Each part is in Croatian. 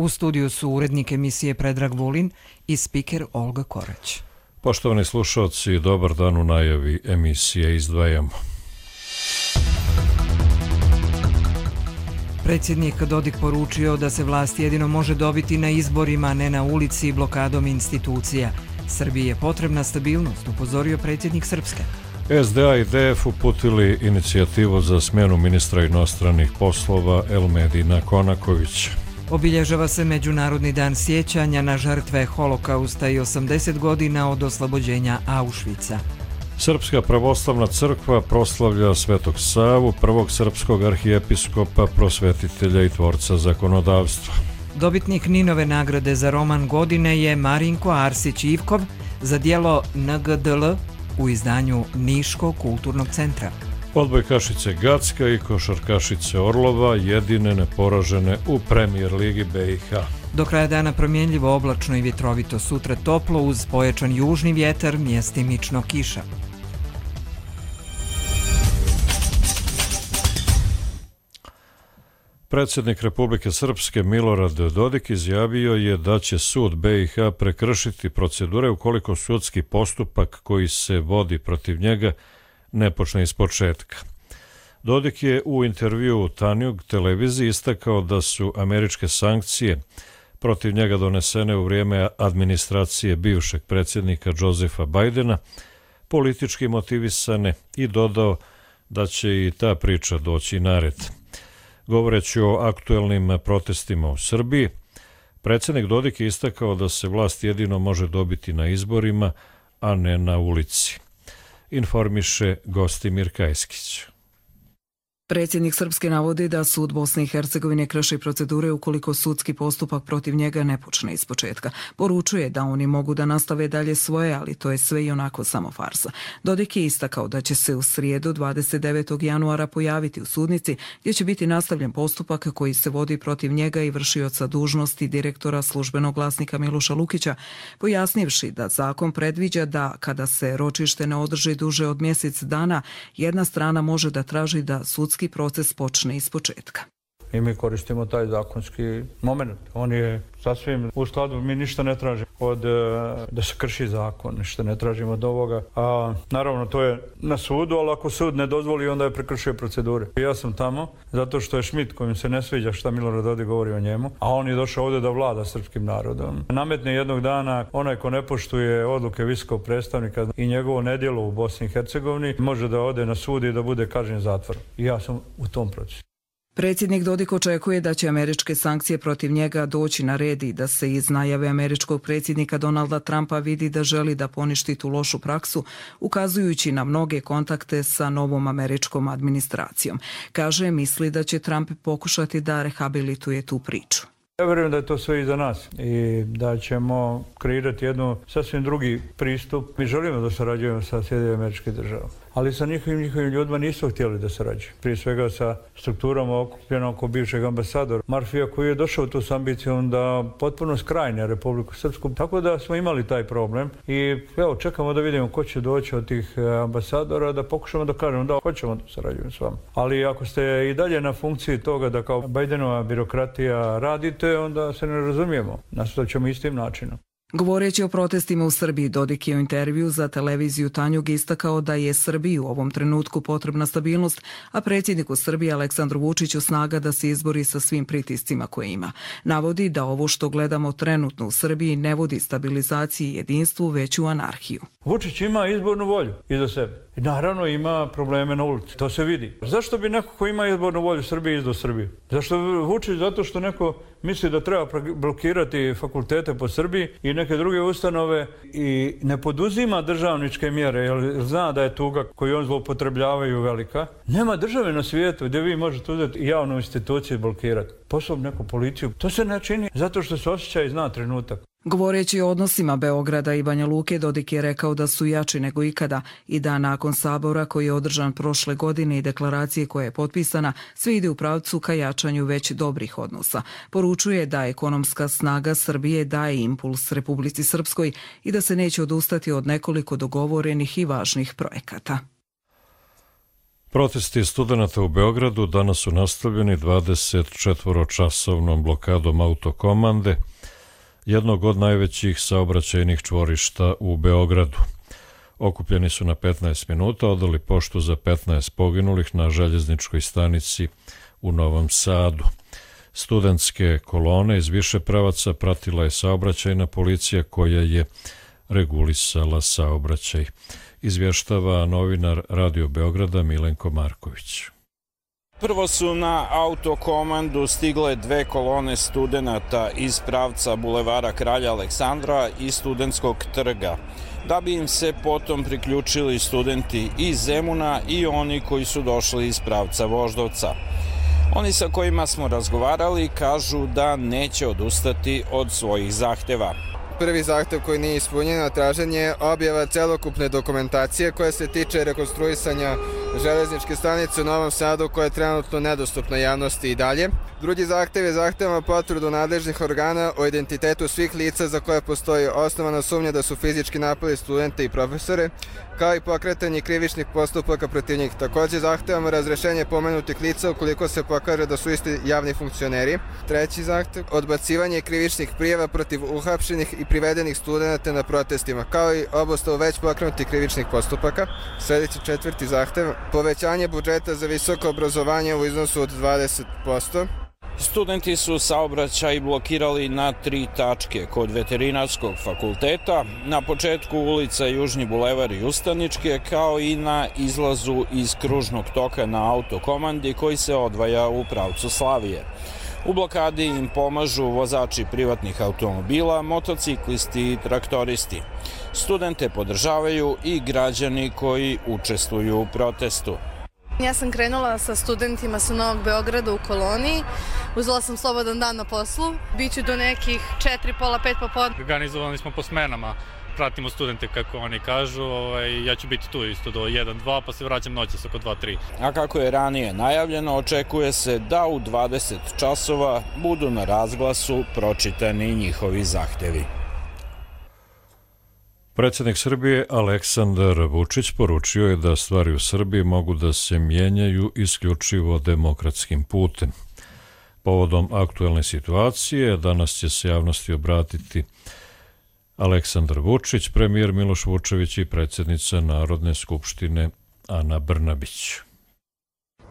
U studiju su urednik emisije Predrag Vulin i spiker Olga Korać. Poštovani slušalci, dobar dan. U najavi emisije izdvajamo. Predsjednik Dodik poručio da se vlast jedino može dobiti na izborima, a ne na ulici i blokadom institucija. Srbiji je potrebna stabilnost, upozorio predsjednik Srpske. SDA i DF uputili inicijativu za smjenu ministra inostranih poslova Elmedina Konakovića. Obilježava se Međunarodni dan sjećanja na žrtve Holokausta i 80 godina od oslobođenja Auschwitza. Srpska pravoslavna crkva proslavlja Svetog Savu, prvog srpskog arhijepiskopa, prosvetitelja i tvorca zakonodavstva. Dobitnik Ninove nagrade za roman godine je Marinko Arsić-Ivkov za djelo NGDL u izdanju Niškog kulturnog centra. Odbojkašice Gacka i košarkašice Orlova jedine neporažene u Premijer ligi BiH. Do kraja dana promjenljivo, oblačno i vjetrovito, sutra toplo uz pojačan južni vjetar, mjestimično kiša. Predsjednik Republike Srpske Milorad Dodik izjavio je da će sud BiH prekršiti procedure ukoliko sudski postupak koji se vodi protiv njega ne počne iz početka. Dodik je u intervjuu u Tanjug televiziji istakao da su američke sankcije protiv njega donesene u vrijeme administracije bivšeg predsjednika Josepha Bidena politički motivisane i dodao da će i ta priča doći na red. Govoreći o aktuelnim protestima u Srbiji, predsjednik Dodik je istakao da se vlast jedino može dobiti na izborima, a ne na ulici. Informiše Gostimir Kajskić. Predsjednik Srpske navodi da sud Bosne i Hercegovine krši procedure ukoliko sudski postupak protiv njega ne počne iz početka. Poručuje da oni mogu da nastave dalje svoje, ali to je sve i onako samo farsa. Dodik je istakao da će se u srijedu 29. januara pojaviti u sudnici gdje će biti nastavljen postupak koji se vodi protiv njega i vršioca dužnosti direktora Službenog glasnika Miloša Lukića, pojasnivši da zakon predviđa da kada se ročište ne održi duže od mjesec dana, jedna strana može da traži da sudski proces počne iz početka. I mi koristimo taj zakonski moment. On je sasvim u skladu, mi ništa ne tražimo da se krši zakon, ništa ne tražimo od ovoga. A naravno to je na sudu, ali ako sud ne dozvoli, onda je prekršio procedure. Ja sam tamo zato što je Schmidt, kojim se ne sviđa šta Milorad Dodik govori o njemu, a on je došao ovdje da vlada srpskim narodom. Nametne jednog dana onaj ko ne poštuje odluke visokog predstavnika i njegovo nedjelo u Bosni i Hercegovini može da ode na sud i da bude kažnjen zatvorom. I ja sam u tom procesu. Predsjednik Dodik očekuje da će američke sankcije protiv njega doći na red i da se iz najave američkog predsjednika Donalda Trumpa vidi da želi da poništi tu lošu praksu, ukazujući na mnoge kontakte sa novom američkom administracijom. Kaže, misli da će Trump pokušati da rehabilituje tu priču. Ja vjerujem da je to sve iza nas i da ćemo kreirati jednu sasvim drugi pristup. Mi želimo da sarađujemo sa Sjedinjenim Američkim Državama, ali sa njihovim ljudima nisu htjeli da sarađuju. Prije svega sa strukturama okupljenom oko bivšeg ambasadora Marfija, koji je došao tu s ambicijom da potpuno skrajne Republiku Srpsku. Tako da smo imali taj problem i evo, čekamo da vidimo ko će doći od tih ambasadora, da pokušamo da kažemo da hoćemo da sarađujemo s vama. Ali ako ste i dalje na funkciji toga da kao Bidenova birokratija radite, onda se ne razumijemo. Nastavit ćemo istim načinom. Govoreći o protestima u Srbiji, Dodik je u intervju za televiziju Tanjug istakao da je Srbiji u ovom trenutku potrebna stabilnost, a predsjedniku Srbije Aleksandru Vučiću snaga da se izbori sa svim pritiscima koje ima. Navodi da ovo što gledamo trenutno u Srbiji ne vodi stabilizaciji i jedinstvu, već u anarhiju. Vučić ima izbornu volju iza sebe. I naravno ima probleme na ulici. To se vidi. Zašto bi neko ko ima izbornu volju Srbije izdao Srbiju? Zašto Vučić? Zato što neko misli da treba blokirati fakultete po Srbiji i neke druge ustanove i ne poduzima državničke mjere, jer zna da je tuga koju on zloupotrebljavaju velika. Nema države na svijetu gdje vi možete uzeti javnu instituciju i blokirati. Posebno neku policiju. To se ne čini zato što se osjeća i zna trenutak. Govoreći o odnosima Beograda i Banja Luke, Dodik je rekao da su jači nego ikada i da nakon sabora koji je održan prošle godine i deklaracije koja je potpisana, sve ide u pravcu ka jačanju već dobrih odnosa. Poručuje da ekonomska snaga Srbije daje impuls Republici Srpskoj i da se neće odustati od nekoliko dogovorenih i važnih projekata. Protesti studenata u Beogradu danas su nastavljeni 24-časovnom blokadom autokomande, jednog od najvećih saobraćajnih čvorišta u Beogradu. Okupljeni su na 15 minuta, odali poštu za 15 poginulih na željezničkoj stanici u Novom Sadu. Studentske kolone iz više pravaca pratila je saobraćajna policija koja je regulisala saobraćaj. Izvještava novinar Radio Beograda Milenko Marković. Prvo su na autokomandu stigle 2 kolone studenata iz pravca bulevara Kralja Aleksandra i Studentskog trga, da bi im se potom priključili studenti iz Zemuna i oni koji su došli iz pravca Voždovca. Oni sa kojima smo razgovarali kažu da neće odustati od svojih zahteva. Prvi zahtev koji nije ispunjen, a tražen je objava celokupne dokumentacije koja se tiče rekonstruisanja železničke stanice u Novom Sadu koja je trenutno nedostupna javnosti i dalje. Drugi zahtev je zahtevama potvrdu nadležnih organa o identitetu svih lica za koje postoji osnovana sumnja da su fizički napali studente i profesore, kao i pokretanje krivičnih postupaka protiv njih. Također zahtevamo razrešenje pomenutih lica ukoliko se pokaže da su isti javni funkcioneri. Treći zahtev, odbacivanje krivičnih prijava protiv uhapšenih i privedenih studenta na protestima, kao i obustavu već pokrenutih krivičnih postupaka. Sljedeći četvrti zahtev, povećanje budžeta za visoko obrazovanje u iznosu od 20%. Studenti su saobraćaj blokirali na 3 tačke kod Veterinarskog fakulteta, na početku ulica Južni bulevar i Ustaničke, kao i na izlazu iz kružnog toka na autokomandi koji se odvaja u pravcu Slavije. U blokadi im pomažu vozači privatnih automobila, motociklisti i traktoristi. Studente podržavaju i građani koji učestvuju u protestu. Ja sam krenula sa studentima sa Novog Beograda u koloniji. Uzela sam slobodan dan na poslu. Biću do nekih 4, pola 5 popodne. Organizovani smo po smenama. Pratimo studente kako oni kažu. Ja ću biti tu isto do 1-2 pa se vraćam noćas oko 2-3. A kako je ranije najavljeno, očekuje se da u 20 časova budu na razglasu pročitani njihovi zahtevi. Predsjednik Srbije Aleksandar Vučić poručio je da stvari u Srbiji mogu da se mijenjaju isključivo demokratskim putem. Povodom aktuelne situacije danas će se javnosti obratiti Aleksandar Vučić, premijer Miloš Vučević i predsjednica Narodne skupštine Ana Brnabić.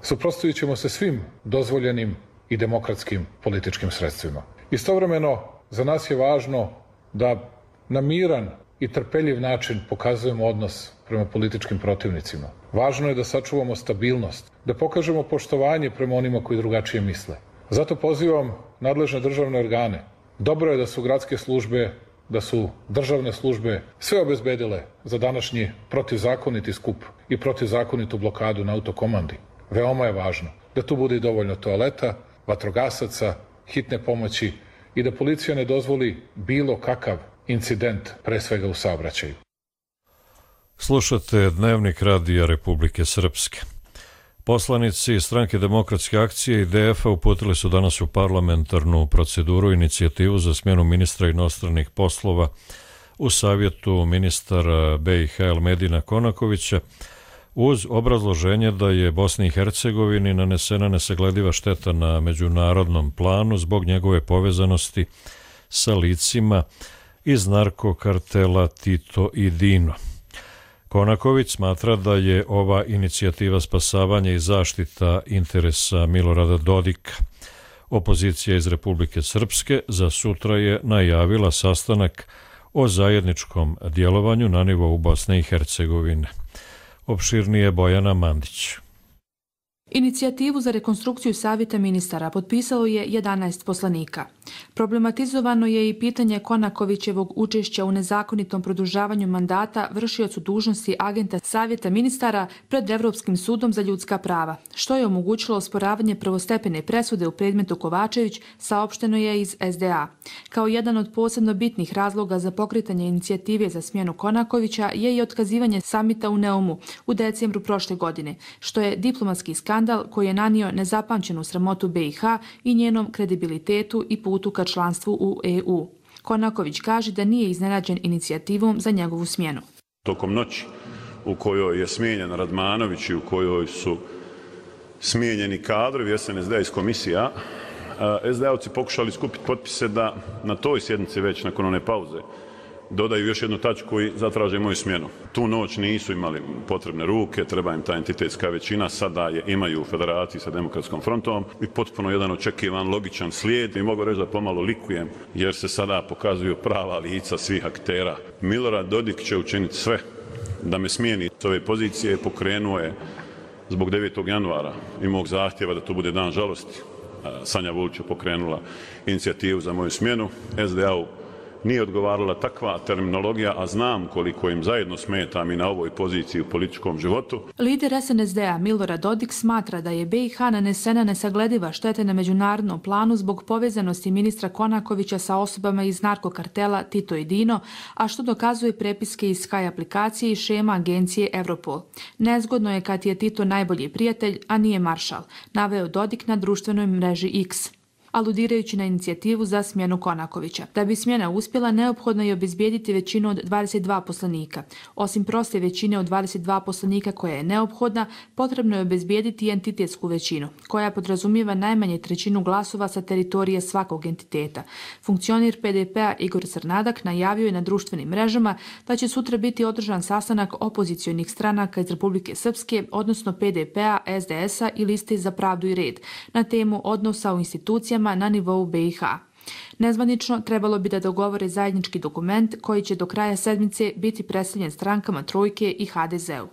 Suprotstavit ćemo se svim dozvoljenim i demokratskim političkim sredstvima. Istovremeno, za nas je važno da na miran i trpeljiv način pokazujemo odnos prema političkim protivnicima. Važno je da sačuvamo stabilnost, da pokažemo poštovanje prema onima koji drugačije misle. Zato pozivam nadležne državne organe. Dobro je da su gradske službe, da su državne službe sve obezbedile za današnji protivzakoniti skup i protivzakonitu blokadu na autokomandi. Veoma je važno da tu bude i dovoljno toaleta, vatrogasaca, hitne pomoći i da policija ne dozvoli bilo kakav incident, pre svega u saobraćaju. Slušate Dnevnik Radija Republike Srpske. Poslanici Stranke demokratske akcije i DF-a uputili su danas u parlamentarnu proceduru inicijativu za smjenu ministra inostranih poslova u savjetu ministara BiH Elmedina Konakovića uz obrazloženje da je Bosni i Hercegovini nanesena nesaglediva šteta na međunarodnom planu zbog njegove povezanosti sa licima iz narkokartela Tito i Dino. Konaković smatra da je ova inicijativa spasavanja i zaštita interesa Milorada Dodika. Opozicija iz Republike Srpske za sutra je najavila sastanak o zajedničkom djelovanju na nivou Bosne i Hercegovine. Opširnije Bojana Mandić. Inicijativu za rekonstrukciju savjeta ministara potpisalo je 11 poslanika. Problematizovano je i pitanje Konakovićevog učešća u nezakonitom produžavanju mandata vršiocu dužnosti agenta savjeta ministara pred Evropskim sudom za ljudska prava, što je omogućilo osporavanje prvostepene presude u predmetu Kovačević, saopšteno je iz SDA. Kao jedan od posebno bitnih razloga za pokretanje inicijative za smjenu Konakovića je i otkazivanje samita u Neumu u decembru prošle godine, što je diplomatski skandal koji je nanio nezapamćenu sramotu BiH i njenom kredibilitetu i putu ka članstvu u EU. Konaković kaže da nije iznenađen inicijativom za njegovu smjenu. Tokom noći u kojoj je smijenjen Radmanović i u kojoj su smijenjeni kadrovi SNSD iz komisija, SD-ovci pokušali skupiti potpise da na toj sjednici već nakon one pauze dodaju još jednu tačku i zatraže moju smjenu. Tu noć nisu imali potrebne ruke, treba im ta entitetska većina, sada je imaju u federaciji sa Demokratskom frontom i potpuno jedan očekivan, logičan slijed i mogu reći da pomalo likujem jer se sada pokazuju prava lica svih aktera. Milorad Dodik će učiniti sve da me smijeni s ove pozicije, pokrenuo je zbog 9. januara i mog zahtjeva da to bude dan žalosti. Sanja Vulić je pokrenula inicijativu za moju smjenu. SDA-u nije odgovarala takva terminologija, a znam koliko im zajedno smetam i na ovoj poziciji u političkom životu. Lider SNSD-a Milorad Dodik smatra da je BiH nanesena nesaglediva štete na međunarodnom planu zbog povezanosti ministra Konakovića sa osobama iz narkokartela Tito i Dino, a što dokazuje prepiske iz Sky aplikacije i šema agencije Europol. Nezgodno je kad je Tito najbolji prijatelj, a nije maršal, naveo Dodik na društvenoj mreži X, aludirajući na inicijativu za smjenu Konakovića. Da bi smjena uspjela, neophodno je obezbijediti većinu od 22 poslanika. Osim proste većine od 22 poslanika koja je neophodna, potrebno je obezbijediti i entitetsku većinu, koja podrazumijeva najmanje trećinu glasova sa teritorije svakog entiteta. Funkcionir PDP-a Igor Crnadak najavio je na društvenim mrežama da će sutra biti održan sastanak opozicionih stranaka iz Republike Srpske, odnosno PDP-a, SDS-a i Liste za pravdu i red, na temu odnosa u institucijama na nivou BiH. Nezvanično trebalo bi da dogovore zajednički dokument koji će do kraja sedmice biti predstavljen strankama Trojke i HDZ-u.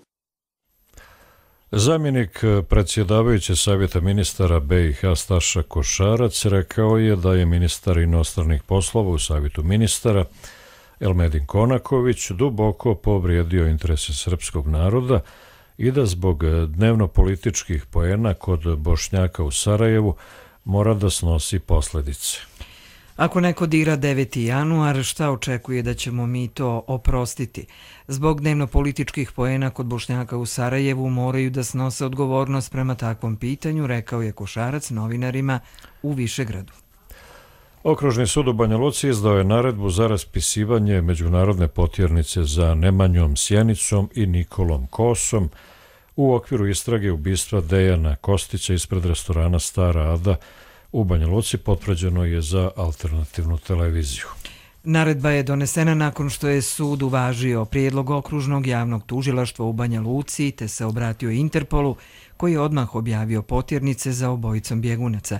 Zamjenik predsjedavajuće Savjeta ministara BiH Staša Košarac rekao je da je ministar inostranih poslova u Savjetu ministara Elmedin Konaković duboko povrijedio interese srpskog naroda i da zbog dnevno-političkih poena kod Bošnjaka u Sarajevu mora da snosi posljedice. Ako neko dira 9. januar, šta očekuje da ćemo mi to oprostiti? Zbog dnevno-političkih poena kod Bošnjaka u Sarajevu moraju da snose odgovornost prema takvom pitanju, rekao je Košarac novinarima u Višegradu. Okružni sud u Banja Luci izdao je naredbu za raspisivanje međunarodne potjernice za Nemanjom Sjenicom i Nikolom Kosom u okviru istrage ubistva Dejana Kostića ispred restorana Stara Ada u Banja Luci, potvrđeno je za alternativnu televiziju. Naredba je donesena nakon što je sud uvažio prijedlog okružnog javnog tužilaštva u Banja Luci te se obratio Interpolu, koji je odmah objavio potjernice za obojicom bjegunaca.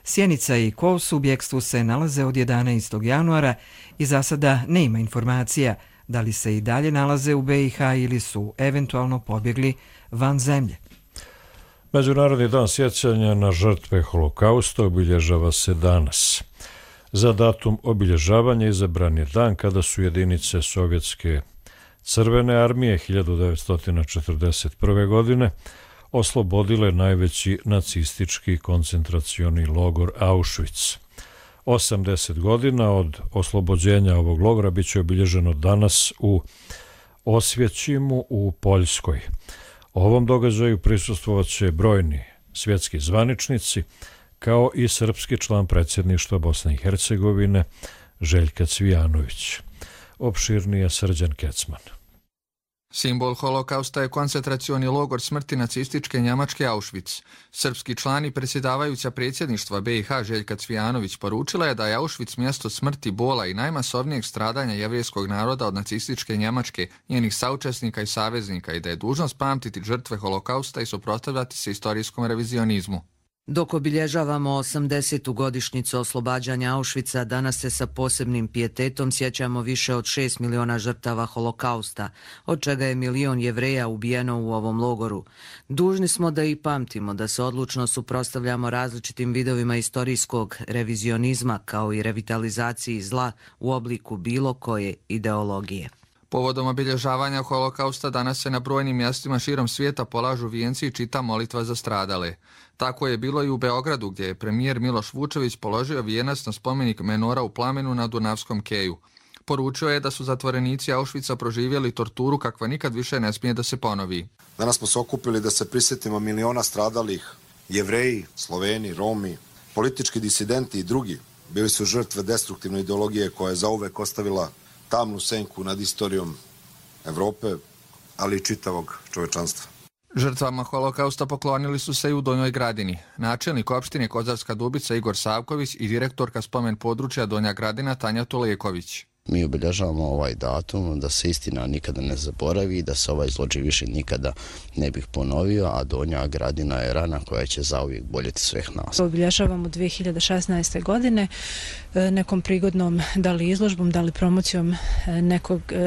Sjenica i Kos u bjekstvu se nalaze od 11. januara i za sada nema informacija da li se i dalje nalaze u BiH ili su eventualno pobjegli van zemlje. Međunarodni dan sjećanja na žrtve holokausta obilježava se danas. Za datum obilježavanja izabran je dan kada su jedinice Sovjetske crvene armije 1941. godine oslobodile najveći nacistički koncentracioni logor Auschwitz. 80 godina od oslobođenja ovog logora bit će obilježeno danas u Osvjećimu u Poljskoj. Ovom događaju prisustvovat će brojni svjetski zvaničnici, kao i srpski član predsjedništva Bosne i Hercegovine Željka Cvijanović. Opširnije Srđan Kecman. Simbol holokausta je koncentracioni logor smrti nacističke Njemačke Auschwitz. Srpski član i predsjedavajuća predsjedništva BiH Željka Cvijanović poručila je da je Auschwitz mjesto smrti, bola i najmasovnijeg stradanja jevrijskog naroda od nacističke Njemačke, njenih saučesnika i saveznika i da je dužnost pamtiti žrtve holokausta i suprotstavljati se istorijskom revizionizmu. Dok obilježavamo 80. godišnjicu oslobađanja Auschwitza, danas se sa posebnim pijetetom sjećamo više od 6 miliona žrtava holokausta, od čega je 1 milion Jevreja ubijeno u ovom logoru. Dužni smo da i pamtimo, da se odlučno suprotstavljamo različitim vidovima istorijskog revizionizma kao i revitalizaciji zla u obliku bilo koje ideologije. Povodom obilježavanja holokausta danas se na brojnim mjestima širom svijeta polažu vijenci i čita molitva za stradale. Tako je bilo i u Beogradu, gdje je premijer Miloš Vučević položio vijenac na spomenik Menora u Plamenu na Dunavskom keju. Poručio je da su zatvorenici Auschwitza proživjeli torturu kakva nikad više ne smije da se ponovi. Danas smo se okupili da se prisjetimo miliona stradalih. Jevreji, Sloveni, Romi, politički disidenti i drugi bili su žrtve destruktivne ideologije koja je zauvek ostavila tamnu senku nad istorijom Evrope, ali i čitavog čovečanstva. Žrtvama holokausta poklonili su se i u Donjoj Gradini. Načelnik opštine Kozarska Dubica Igor Savković i direktorka spomen područja Donja Gradina Tanja Tuleković. Mi obilježavamo ovaj datum da se istina nikada ne zaboravi, da se ovaj zločin više nikada ne bih ponovio, a Donja Gradina je rana koja će zauvijek boljeti sveh nas. Obilježavamo 2016. godine nekom prigodnom, da li izložbom, da li promocijom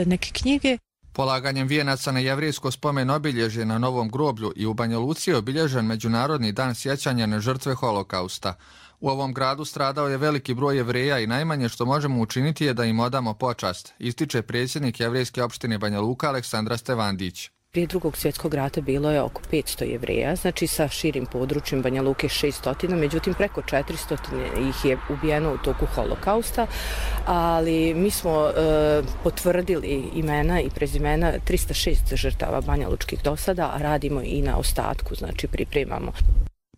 neke knjige. Polaganjem vijenaca na jevrejsko spomen obilježje na Novom groblju i u Banja Luci je obilježen Međunarodni dan sjećanja na žrtve holokausta. U ovom gradu stradao je veliki broj Jevreja i najmanje što možemo učiniti je da im odamo počast, ističe predsjednik jevrejske opštine Banja Luka Aleksandra Stevandić. Prije Drugog svjetskog rata bilo je oko 500 Jevreja, znači sa širim područjem Banja Luke 600, međutim preko 400 ih je ubijeno u toku holokausta, ali mi smo potvrdili imena i prezimena 306 žrtava Banja Lučkih do sada, a radimo i na ostatku, znači pripremamo.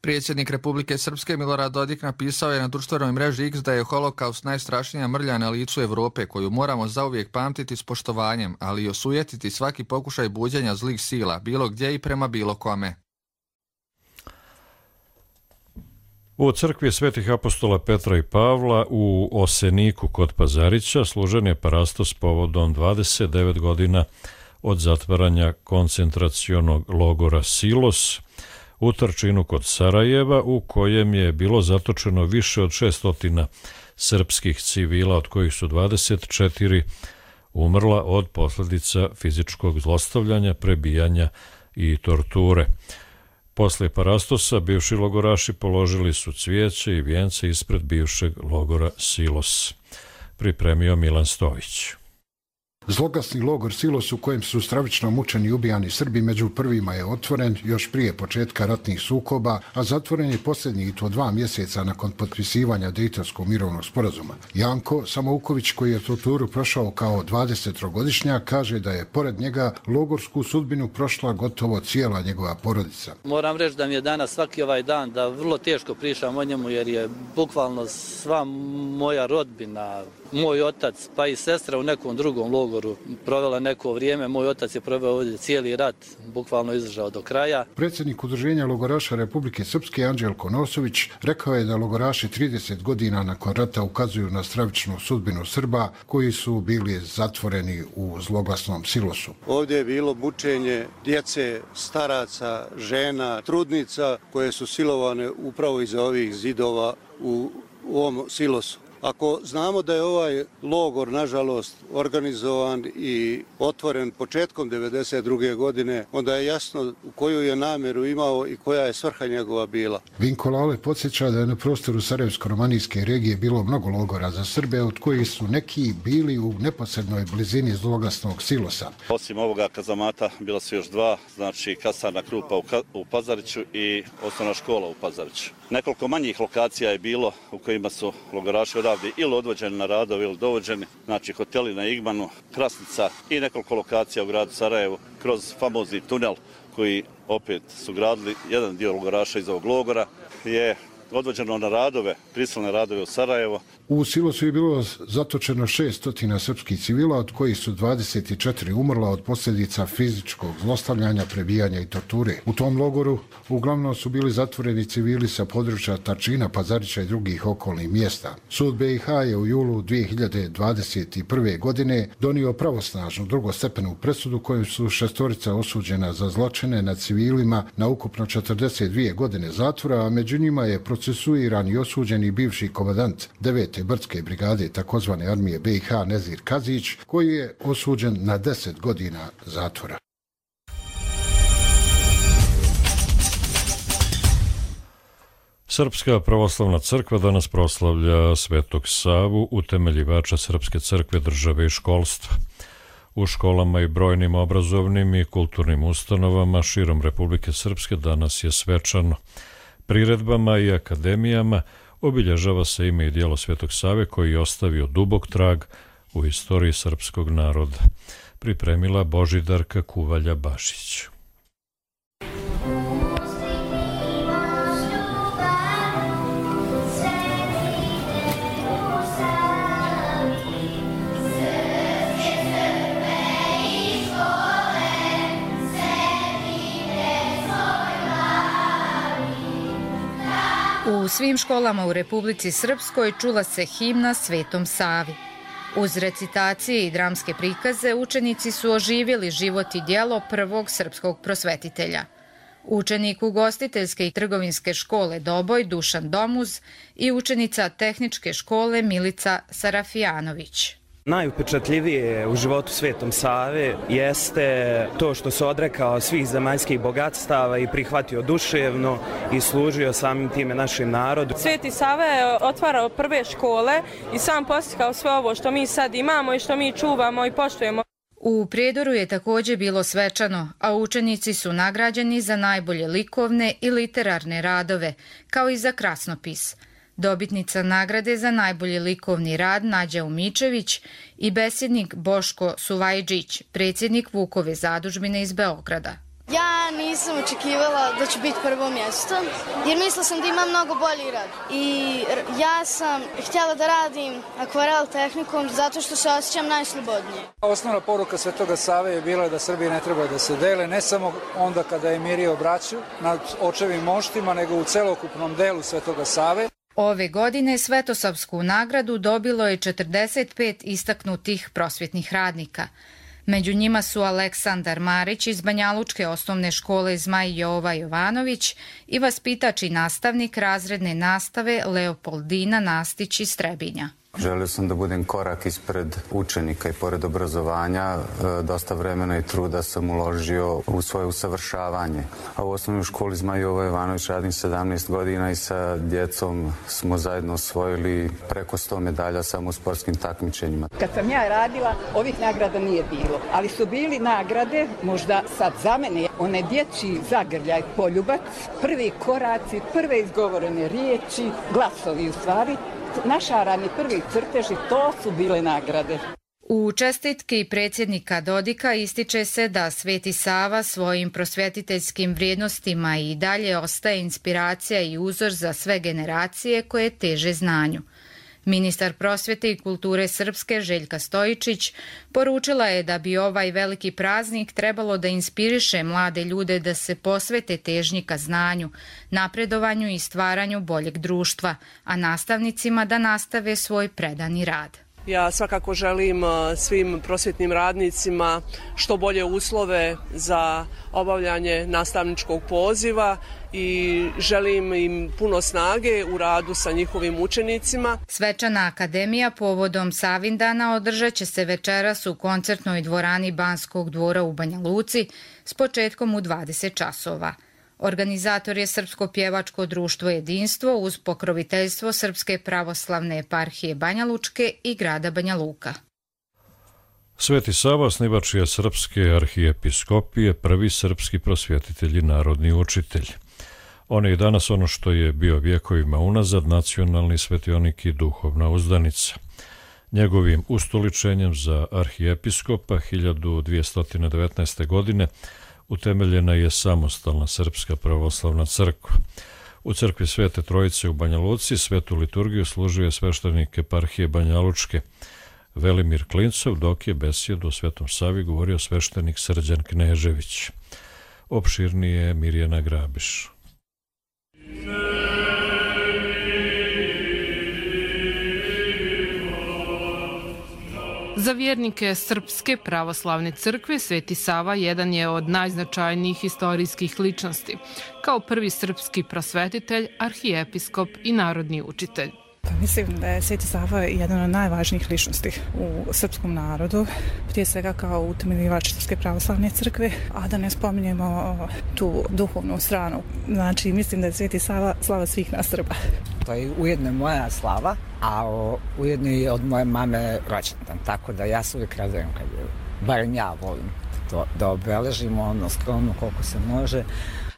Predsjednik Republike Srpske Milorad Dodik napisao je na društvenoj mreži X da je holokaust najstrašnija mrlja na licu Evrope koju moramo zauvijek pamtiti s poštovanjem, ali i osujetiti svaki pokušaj buđenja zlih sila, bilo gdje i prema bilo kome. U crkvi Svetih apostola Petra i Pavla u Oseniku kod Pazarića služen je parastos povodom 29 godina od zatvaranja koncentracionog logora Silos u Trčinu kod Sarajeva, u kojem je bilo zatočeno više od 600 srpskih civila, od kojih su 24 umrla od posljedica fizičkog zlostavljanja, prebijanja i torture. Posle parastosa bivši logoraši položili su cvijeće i vijence ispred bivšeg logora Silos. Pripremio Milan Stojić. Zloglasni logor Silos u kojem su stravično mučeni i ubijani Srbi među prvima je otvoren još prije početka ratnih sukoba, a zatvoren je posljednji i to 2 mjeseca nakon potpisivanja Dejtonskog mirovnog sporazuma. Janko Samouković, koji je torturu prošao kao 20-godišnjak, kaže da je pored njega logorsku sudbinu prošla gotovo cijela njegova porodica. Moram reći da mi je danas svaki ovaj dan da vrlo teško pričam o njemu jer je bukvalno sva moja rodbina, moj otac pa i sestra u nekom drugom logoru provela neko vrijeme. Moj otac je proveo ovdje cijeli rat, bukvalno izdržao do kraja. Predsjednik Udruženja logoraša Republike Srpske Anđelko Nosović rekao je da logoraši 30 godina nakon rata ukazuju na stravičnu sudbinu Srba koji su bili zatvoreni u zloglasnom Silosu. Ovdje je bilo mučenje djece, staraca, žena, trudnica koje su silovane upravo iza ovih zidova u ovom Silosu. Ako znamo da je ovaj logor, nažalost, organizovan i otvoren početkom 1992. godine, onda je jasno koju je namjeru imao i koja je svrha njegova bila. Vinko Lale podsjeća da je na prostoru Sarajevsko-romanijske regije bilo mnogo logora za Srbe, od kojih su neki bili u neposrednoj blizini zloglasnog Silosa. Osim ovoga kazamata bila su još 2, znači kasarna Krupa u Pazariću i osnovna škola u Pazariću. Nekoliko manjih lokacija je bilo u kojima su logoraši odavde ili odvođeni na radove ili dovođeni, znači hoteli na Igmanu, Krasnica i nekoliko lokacija u gradu Sarajevu kroz famozni tunel koji opet su gradili jedan dio logoraša iz ovog logora je odvođeno na radove, prisilne radove u Sarajevo. U Silosu je bilo zatočeno 600 srpskih civila, od kojih su 24 umrla od posljedica fizičkog zlostavljanja, prebijanja i torture. U tom logoru uglavnom su bili zatvoreni civili sa područja Trčina, Pazarića i drugih okolnih mjesta. Sud BiH je u julu 2021. godine donio pravosnažnu drugostepenu presudu kojom su 6 osuđena za zločine nad civilima na ukupno 42 godine zatvora, a među njima je procesuiran i osuđen i bivši komandant 9. brdske brigade takozvane armije BiH Nezir Kazić, koji je osuđen na 10 godina zatvora. Srpska pravoslavna crkva danas proslavlja Svetog Savu, utemeljivača Srpske crkve, države i školstva. U školama i brojnim obrazovnim i kulturnim ustanovama širom Republike Srpske danas je svečano. Priredbama i akademijama obilježava se ime i djelo Svetog Save koji je ostavio dubok trag u istoriji srpskog naroda. Pripremila Božidarka Kuvalja-Bašić. U svim školama u Republici Srpskoj čula se himna Svetom Savi. Uz recitacije i dramske prikaze učenici su oživjeli život i djelo prvog srpskog prosvetitelja. Učenik ugostiteljske i trgovinske škole Doboj Dušan Domuz i učenica tehničke škole Milica Sarafijanović. Najupečatljivije u životu Svetom Save jeste to što se odrekao svih zemaljskih bogatstava i prihvatio duševno i služio samim time našem narodu. Sveti Sava je otvarao prve škole i sam postikao sve ovo što mi sad imamo i što mi čuvamo i poštujemo. U Prijedoru je također bilo svečano, a učenici su nagrađeni za najbolje likovne i literarne radove, kao i za krasnopis. Dobitnica nagrade za najbolji likovni rad Nađa Umičević i besjednik Boško Suvajđić, predsjednik Vukove zadužbine iz Beograda. Ja nisam očekivala da ću biti prvo mjesto, jer mislila sam da imam mnogo bolji rad. I ja sam htjela da radim akvarel tehnikom zato što se osjećam najslobodnije. Osnovna poruka Svetoga Save je bila da Srbi ne treba da se dele, ne samo onda kada je mirio braću nad očevim moštima, nego u celokupnom delu Svetoga Save. Ove godine Svetosavsku nagradu dobilo je 45 istaknutih prosvjetnih radnika. Među njima su Aleksandar Marić iz Banjalučke osnovne škole Zmaj Jova Jovanović i vaspitač i nastavnik razredne nastave Leopoldina Nastić iz Trebinja. Želio sam da budem korak ispred učenika i pored obrazovanja dosta vremena i truda sam uložio u svoje usavršavanje. A u osnovnoj školi Zmaj Jova Jovanović radim 17 godina i sa djecom smo zajedno osvojili preko 100 medalja samo u sportskim takmičenjima. Kad sam ja radila, ovih nagrada nije bilo, ali su bili nagrade, možda sad za mene, one dječji zagrljaj, poljubac, prvi koraci, prve izgovorene riječi, glasovi u stvari, našarani prvi crteži, to su bile nagrade. U čestitki predsjednika Dodika ističe se da Sveti Sava svojim prosvjetiteljskim vrijednostima i dalje ostaje inspiracija i uzor za sve generacije koje teže znanju. Ministar prosvjete i kulture Srpske Željka Stojičić poručila je da bi ovaj veliki praznik trebalo da inspiriše mlade ljude da se posvete težnji ka znanju, napredovanju i stvaranju boljeg društva, a nastavnicima da nastave svoj predani rad. Ja svakako želim svim prosvjetnim radnicima što bolje uslove za obavljanje nastavničkog poziva i želim im puno snage u radu sa njihovim učenicima. Svečana akademija povodom Savindana održat će se večeras u koncertnoj dvorani Banskog dvora u Banja Luci s početkom u 20 časova. Organizator je Srpsko pjevačko društvo Jedinstvo uz pokroviteljstvo Srpske pravoslavne eparhije Banja Lučke i grada Banja Luka. Sveti Sava, osnivač je Srpske arhijepiskopije, prvi srpski prosvjetitelj i narodni učitelj. On je i danas ono što je bio vjekovima unazad, nacionalni svetionik i duhovna uzdanica. Njegovim ustoličenjem za arhijepiskopa 1219. godine utemeljena je samostalna Srpska pravoslavna crkva. U crkvi Svete Trojice u Banja Luci svetu liturgiju služio je sveštenik eparhije Banja Lučke Velimir Klincov, dok je besjedu o Svetom Savi govorio sveštenik Srđan Knežević. Opširnije Mirjana Grabiš. Za vjernike Srpske pravoslavne crkve Sveti Sava jedan je od najznačajnijih istorijskih ličnosti, kao prvi srpski prosvetitelj, arhijepiskop i narodni učitelj. Mislim da je Sveti Sava jedan od najvažnijih ličnosti u srpskom narodu, prije svega kao utemeljivač Srpske pravoslavne crkve, a da ne spominjemo tu duhovnu stranu. Znači, mislim da je Sveti Sava slava svih nas Srba. To je ujedno moja slava, a ujedno i od moje mame rođendan, tako da ja se uvijek radujem kad je, barem ja volim da obeležimo ono skromno koliko se može.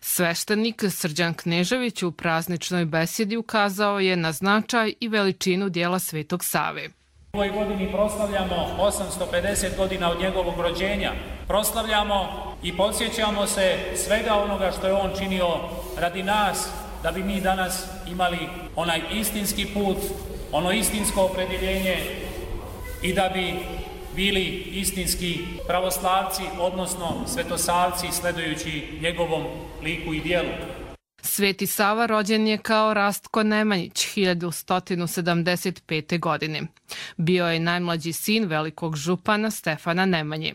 Sveštenik Srđan Knežević u prazničnoj besjedi ukazao je na značaj i veličinu dijela Svetog Save. U ovoj godini proslavljamo 850 godina od njegovog rođenja. Proslavljamo i podsjećamo se svega onoga što je on činio radi nas, da bi mi danas imali onaj istinski put, ono istinsko opredjeljenje i da bi bili istinski pravoslavci, odnosno svetosavci, sledujući njegovom liku i dijelu. Sveti Sava rođen je kao Rastko Nemanjić 1175. godine. Bio je najmlađi sin velikog župana Stefana Nemanje.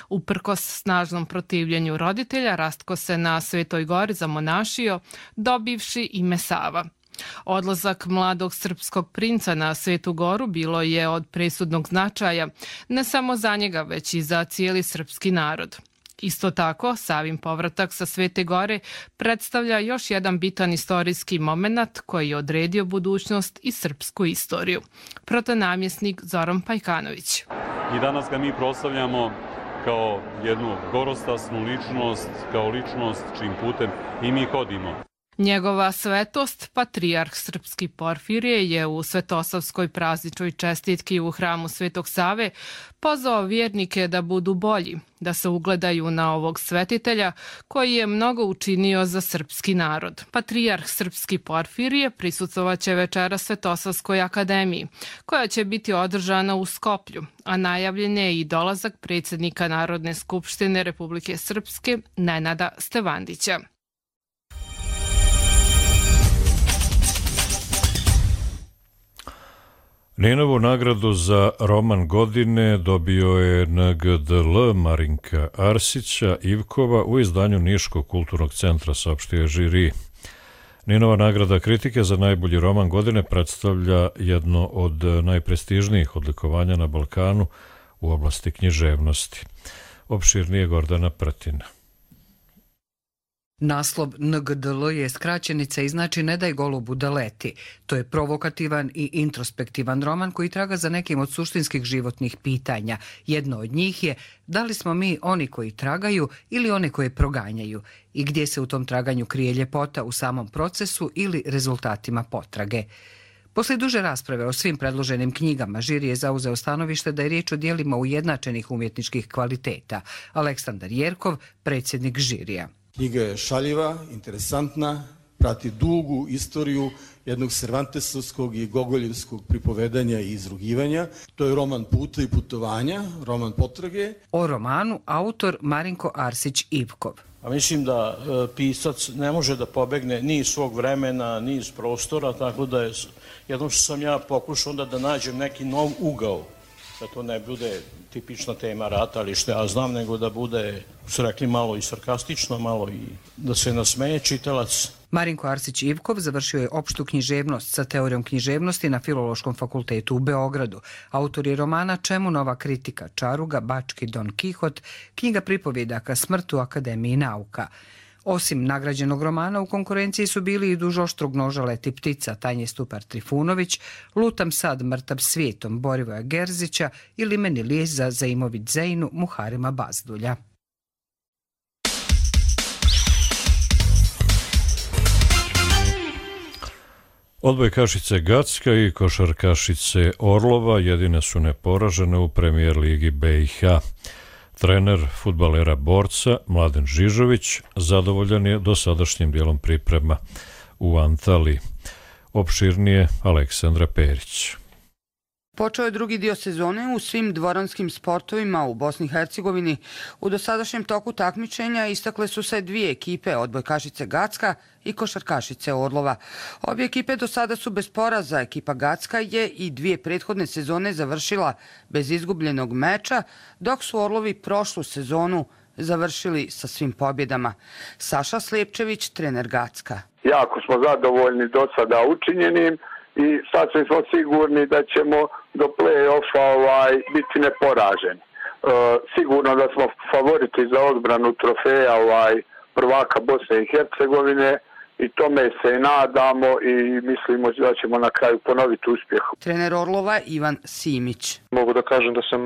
Uprkos snažnom protivljenju roditelja, Rastko se na Svetoj gori zamonašio, dobivši ime Sava. Odlazak mladog srpskog princa na Svetu goru bilo je od presudnog značaja, ne samo za njega, već i za cijeli srpski narod. Isto tako, Savin povratak sa Svete gore predstavlja još jedan bitan istorijski moment koji je odredio budućnost i srpsku istoriju. Protonamjesnik Zoran Pajkanović. I danas ga mi proslavljamo kao jednu gorostasnu ličnost, kao ličnost čim putem i mi hodimo. Njegova svetost, patrijarh srpski Porfirije, je u svetosavskoj prazničnoj čestitki u hramu Svetog Save pozvao vjernike da budu bolji, da se ugledaju na ovog svetitelja koji je mnogo učinio za srpski narod. Patrijarh srpski Porfirije prisustvovaće večera Svetosavskoj akademiji, koja će biti održana u Skoplju, a najavljen je i dolazak predsjednika Narodne skupštine Republike Srpske Nenada Stevandića. Ninovu nagradu za roman godine dobio je NGDL Marinka Arsića Ivkova u izdanju Niškog kulturnog centra, saopštio je žiri. Ninova nagrada kritike za najbolji roman godine predstavlja jedno od najprestižnijih odlikovanja na Balkanu u oblasti književnosti. Opširnije Gordana Pratina. Naslov NGDL je skraćenica i znači Ne daj golubu da leti. To je provokativan i introspektivan roman koji traga za nekim od suštinskih životnih pitanja. Jedno od njih je da li smo mi oni koji tragaju ili one koje proganjaju i gdje se u tom traganju krije ljepota u samom procesu ili rezultatima potrage. Poslije duže rasprave o svim predloženim knjigama, žiri je zauzeo stanovište da je riječ o dijelima ujednačenih umjetničkih kvaliteta. Aleksandar Jerkov, predsjednik žirija. Knjiga je šaljiva, interesantna, prati dugu istoriju jednog Cervantesovskog i Gogoljevskog pripovedanja i izrugivanja. To je roman puta i putovanja, roman potrage. O romanu autor Marinko Arsić Ivkov. A mislim da pisac ne može da pobegne ni iz svog vremena, ni iz prostora, tako da je jednom što sam ja pokušao onda da nađem neki nov ugao, da to ne bude tipična tema rata, ali što ja znam, nego da bude, su rekli, malo i sarkastično, malo i da se nasmeje čitalac. Marinko Arsić Ivkov završio je opštu književnost sa teorijom književnosti na Filološkom fakultetu u Beogradu. Autor je romana Čemu nova kritika, Čaruga, Bački Don Kihot, knjiga pripovjedaka Smrt u Akademiji nauka. Osim nagrađenog romana, u konkurenciji su bili i Duž oštrog noža leti ptica Tanje Stupar Trifunović, Lutam sad mrtav svijetom Borivoja Gerzića i Limeni lijez za Zaimović Zejnu Muharima Bazdulja. Odbojkašice Gacka i košarkašice Orlova jedine su neporažene u premijer ligi BiH. Trener fudbalera Borca Mladen Žižović zadovoljan je dosadašnjim dijelom priprema u Antaliji. Opširnije Aleksandra Perić. Počeo je drugi dio sezone u svim dvoranskim sportovima u Bosni i Hercegovini. U dosadašnjem toku takmičenja istakle su se dvije ekipe, odbojkašice Gacka i košarkašice Orlova. Obje ekipe do sada su bez poraza. Ekipa Gacka je i dvije prethodne sezone završila bez izgubljenog meča, dok su Orlovi prošlu sezonu završili sa svim pobjedama. Saša Slijepčević, trener Gacka. Jako smo zadovoljni do sada učinjenim i sasvim smo sigurni da ćemo do play-offa biti neporaženi. Sigurno da smo favoriti za odbranu trofeja prvaka Bosne i Hercegovine i tome se i nadamo i mislimo da ćemo na kraju ponoviti uspjeh. Trener Orlova Ivan Simić. Mogu da kažem da sam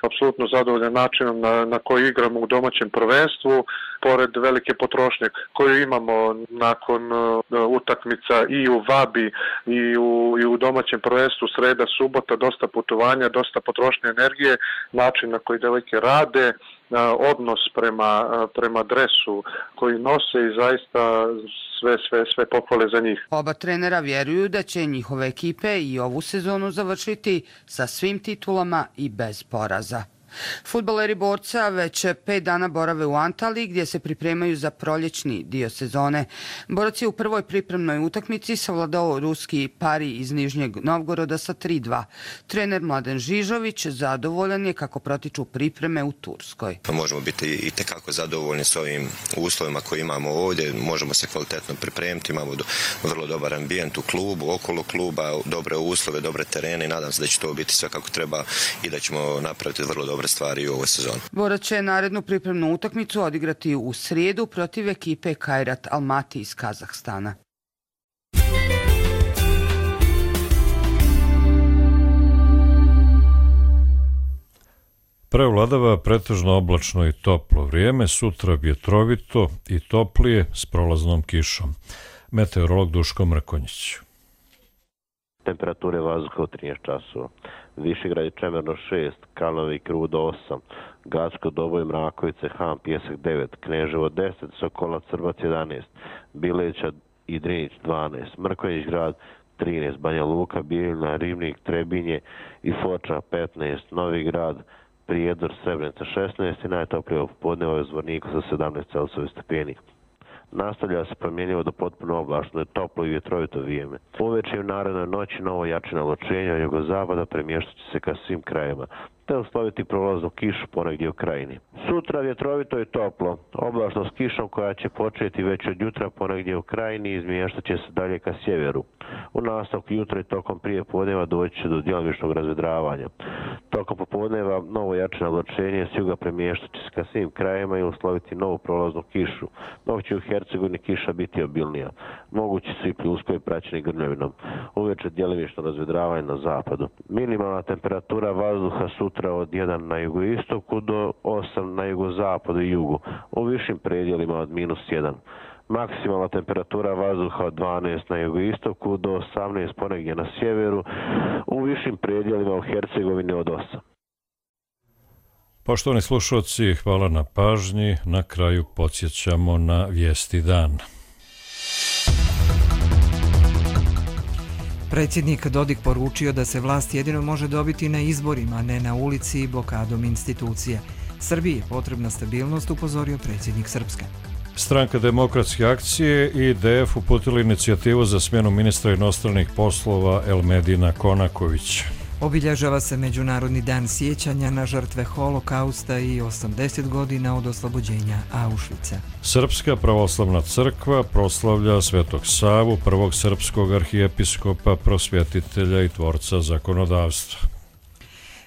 apsolutno zadovoljan načinom na koji igramo u domaćem prvenstvu, pored velike potrošnje koju imamo nakon utakmica i u Vabi i u domaćem prvenstvu, sreda, subota, dosta putovanja, dosta potrošnje energije, način na koji devojke rade, odnos prema dresu koji nose i zaista sve pohvale za njih. Oba trenera vjeruju da će njihove ekipe i ovu sezonu završiti sa svim titulama i bez poraza. Fudbaleri Borca već 5 dana borave u Antaliji gdje se pripremaju za proljećni dio sezone. Borac je u prvoj pripremnoj utakmici savladao ruski Pari iz Nižnjeg Novgoroda sa 3:2. Trener Mladen Žižović zadovoljan je kako protiču pripreme u Turskoj. Možemo biti i tekako zadovoljni s ovim uslovima koje imamo ovdje, možemo se kvalitetno pripremiti, imamo vrlo dobar ambijent u klubu, okolo kluba, dobre uslove, dobre terene i nadam se da će to biti sve kako treba i da ćemo napraviti vrlo dobre stvari u ovoj sezoni. Borac će narednu pripremnu utakmicu odigrati u srijedu protiv ekipe Kairat Almaty iz Kazahstana. Prevladava pretežno oblačno i toplo vrijeme, sutra vjetrovito i toplije s prolaznom kišom. Meteorolog Duško Mrkonjić. Temperature vazduha u 13 časova. Višegrad i Čemerno 6, Kalnovik i Rudo 8, Gacko, Doboj, Mrakovice, Han, Pjesak 9, Kneževo 10, Sokolac, Srbac 11, Bileća i Drinić 12, Mrkonjić grad 13, Banja Luka, Bijeljina, Ribnik, Trebinje i Foča 15, Novi grad, Prijedor, Srebrenica 16 i najtoplije popodne u Zvorniku sa 17 Celsijevi stepeni. Nastavlja se promjenjivo do potpuno oblačno, toplo i vjetrovito vrijeme. Uveče i u narednoj noći novo jače naločenje od jugozapada premještat će se ka svim krajevima, te usloviti prolaznu kišu ponegdje u krajini. Sutra vjetrovito i toplo, oblačno s kišom koja će početi već od jutra ponegdje u krajini i izmještat će se dalje ka sjeveru. U nastavku jutra i tokom prije podneva doći će do djelomičnog razvedravanja. Tokom popodneva novo jače naločenje s juga premještat će se ka svim krajevima i usloviti novu prolaznu kišu, dok će u Hercegovini kiša biti obilnija. Mogući su i pljuskovi praćeni grmljavinom. Uveče djelomično razvedravanje na zapadu. Minimalna temperatura vazduha sutra od 1 na jugoistoku do 8 na jugozapadu i jugu, u višim predjelima od -1. Maksimalna temperatura vazduha od 12 na jugoistoku do 18 ponegdje na sjeveru, u višim predjelima u Hercegovini od 8. Poštovani slušalci, hvala na pažnji. Na kraju podsjećamo na vijesti dana. Predsjednik Dodik poručio da se vlast jedino može dobiti na izborima, a ne na ulici i blokadom institucija. Srbiji je potrebna stabilnost, upozorio predsjednik Srpske. Stranka Demokratske akcije i IDF uputili inicijativu za smjenu ministra inostranih poslova Elmedina Konakovića. Obilježava se Međunarodni dan sjećanja na žrtve holokausta i 80 godina od oslobođenja Auschwitza. Srpska pravoslavna crkva proslavlja Svetog Savu, prvog srpskog arhijepiskopa, prosvjetitelja i tvorca zakonodavstva.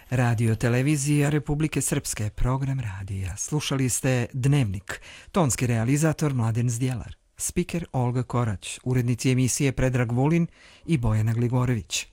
Radio televizija Republike Srpske, program radija. Slušali ste Dnevnik, tonski realizator Mladen Zdjelar, spiker Olga Korać, urednici emisije Predrag Vulin i Bojana Gligorević.